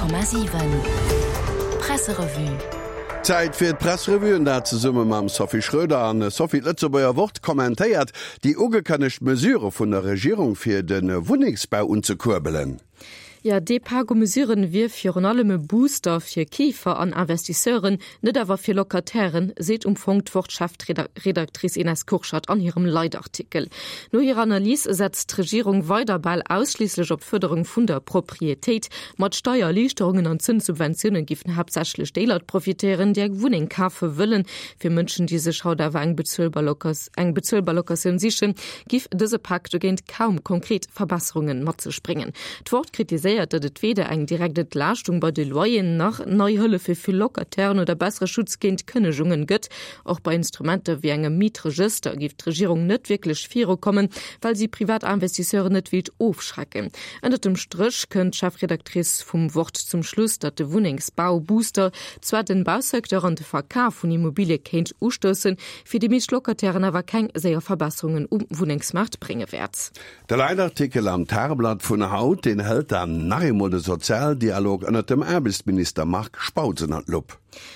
100,7 Presserevue. Zäit fir d'Pressrevue, an dat zesumme mam Sophie Schröder. An Sophie, d'Lëtzebuerger Wort kommentéiert déi ugekënnegt Mesure vun der Regierung fir de Wunnengsbau unzekuerbelen. Jo, dee Pak u Mesuren wier virun allem e Booster fir Keefer an Investisseuren, net awer fir Locatairen, seet um Fong d'Wort-Chefredactrice Ines Kurschat an hirem Leitartikel. No hirer Analys setzt d'Regierung weider bal ausschliisslech op d'Fërderung vun der Proprietéit. Mat Steiererliichterungen an Zënssubventioune giffen haaptsächlech déi Leit profitéieren, déi eng Wunneng kafe wëllen. Fir Mënschen, déi sech haut awer eng bezuelbar eng bezuelbar Locatioun sichen, giff dëse Pak dogéint kaum konkret Verbesserungen mat sech bréngen. D'Wort kritiséiert, datt et weder eng direkt Entlaaschtung bei de Loyeren nach nei Hëllefe fir Locatairen oder bessere Schutz géint Kënnegungen gëtt. Och bei Instrumenter wéi engem Mietregëster giff d'Regierung net wierklech virukommen, well si privat Investisseuren net wéilt ofschrecken. Ënnert dem Stréch kënnt d'Chefredactrice vum Wort zum Schluss, datt de Wunnengsbau-Booster zwar den Bausecteur an de Verkaf vun Immobilie kéint ustoussen, fir déi meescht Locatairen awer keng séier Verbesserungen um Wunnengsmaart brénge wäert. De Leitartikel am Tageblatt vun haut, deen hëlt dann nach eemol de Sozialdialog ënnert dem Aarbechtsminister Marc Spautz ënnert d'Lupp.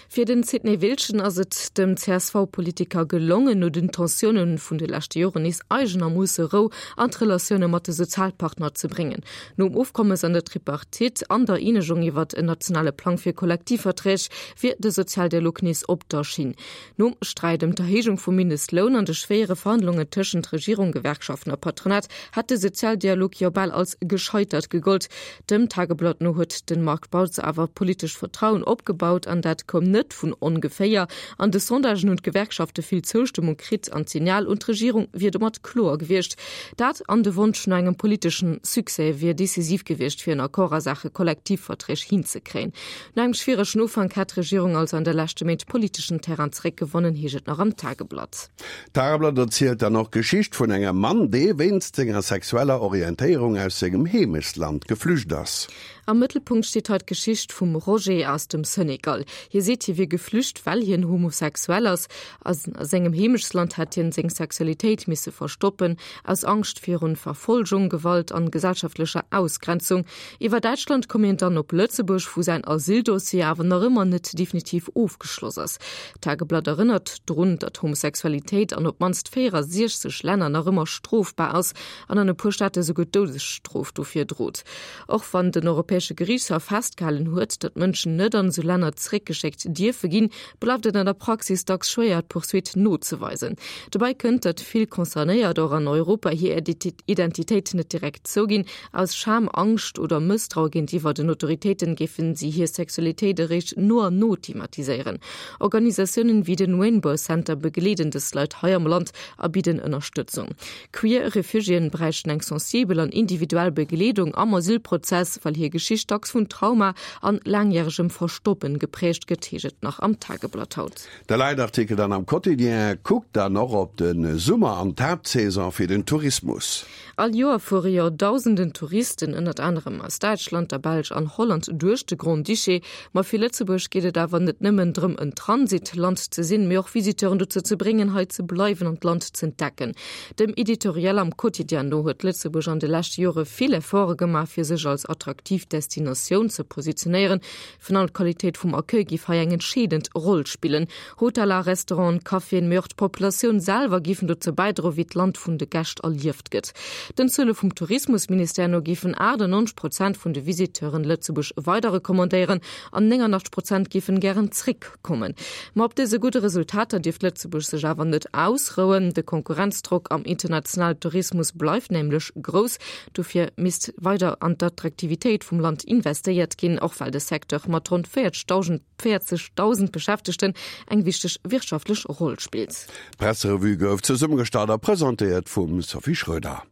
Fir den Sidney Wiltgen ass et dem CSV-Politiker gelongen, no den Tensioune vun de leschte Joren nees eigenermoosse Rou an d'Relatioune mat de Sozialpartner ze bréngen. Nom Ofkommes an der Tripartite an der Eenegung iwwert en nationale Plang fir Kollektivverträg wier de Sozialdialog nees op der Schinn. Nom Sträit ëm d'Erhéijung vum Mindestloun an de schwéiere Verhandlungen tëschent Regierung, Gewerkschaften a Patronat hat de Sozialdialog jo bal als gescheitert gegollt. Dem Tageblatt no huet de Marc Spautz awer politescht Vertrauen opgebaut an dat koum net vun ongeféier. An de Sondagen hunn d'Gewerkschafte vill Zoustëmmung kritt an d'Signal un d'Regierung wier domat kloer gewiescht. Dat an de Wonsch no engem politeschen Succès wier decisiv gewiescht fir en Accord a Saache Kollektivverträg hinzekréien. No engem schwieregen Ufank hätt d'Regierung also an de leschte Méint politeschen Terrain zeréckgewonnen, heescht et nach am Tageblatt. D'Tageblatt erzielt dann och d'Geschicht vun engem Mann, dee wéinst senger sexueller Orientéierung aus sengem Heemechtsland geflücht ass. Am Mëttelpunkt steet hei d'Geschicht vum Roger aus dem Senegal. Hie seet, hie wier geflücht, well hien homosexuell ass. A sengem Heemechtsland hätt hien seng Sexualitéit misse verstoppen, aus Angscht virun Verfolgung, Gewalt an gesellschaftlecher Ausgrenzung. Iwwer Däitschland koum hien dann op Lëtzebuerg, wou säin Asyldossier awer nach ëmmer net definitiv ofgeschloss ass. D'Tageblatt erënnert drun, datt Homosexualitéit an op d'mannst 64 Länner nach ëmmer strofbar ass an an e puer Staate souguer d'Doudesstrof dofir drot. Och wann den Europäesche Geriichtshaff festgehalen huet, datt Mënschen net an esou Länner zeréckgeschéckt dierfe ginn, bleift et an der Praxis dacks schwéier, d'Poursuite nozeweisen. Dobäi kënnt, datt vill Concernéiert och an Europa hir Identitéit net direkt zouginn, Aus Scham, Angscht oder Mësstraue géintiwwer den Autoritéiten géifen si hir Sexualitéit eréischt no an no thematiséieren. Organisatiounen wéi den Rainbow Center begleeden dës Leit hei am Land a bidden Ënnerstëtzung. Queer Refugiéen bräichten eng sensibel an individuell Begleedung am Asylprozess, well hir Geschicht dacks vun Trauma an laangjäregem Verstoppen geprägt gëtt, heescht et nach am Tageblatt haut. De Leitartikel dann am Quotidien kuckt dann och op de Summer an d'Haaptsaison fir den Tourismus. All Joer fuere Joerdausenden Touristen, ënnert anerem aus Däitschland, der Belsch an Holland, duerch de Grand-Duché. Ma fir Lëtzebuerg geet et awer net nëmmen drëm, en Transitland ze sinn, mee och Visiteuren dozou ze bréngen, hei ze bleiwen an d'Land z'entdecken. Dem Editorial am Quotidien no huet Lëtzebuerg an de leschte Jore vill Efforte gemaach, fir sech als attraktiv Destinatioun ze positionéieren. Virun allem d'Qualitéit vum Accueil géif hei eng entscheedend Roll spillen. Hoteller, Restauranten, Caféen, mee och d'Populatioun selwer géifen dozou bäidroen, wéi d'Land vun de Gäscht erlieft gëtt. Den Zuele vum Tourismusministère no géifen 98 Prozent vun de Visiteuren Lëtzebuerg weider recommandéieren an 89 Prozent géifen gären zréckkommen. Ma op dëse gudde Resultater dierft Lëtzebuerg sech awer net ausrouen. De Konkurrenzdrock am internationalen Tourismus bleift nämlech grouss. Dofir misst weider an d'Attraktivitéit vum Land investéiert ginn, och well de Secteur mat ronn 40.000 Beschäftegten eng wichteg wirtschaftlech Roll spillt. D'Presserevue gouf zesummegestallt a presentéiert vum Sophie Schröder.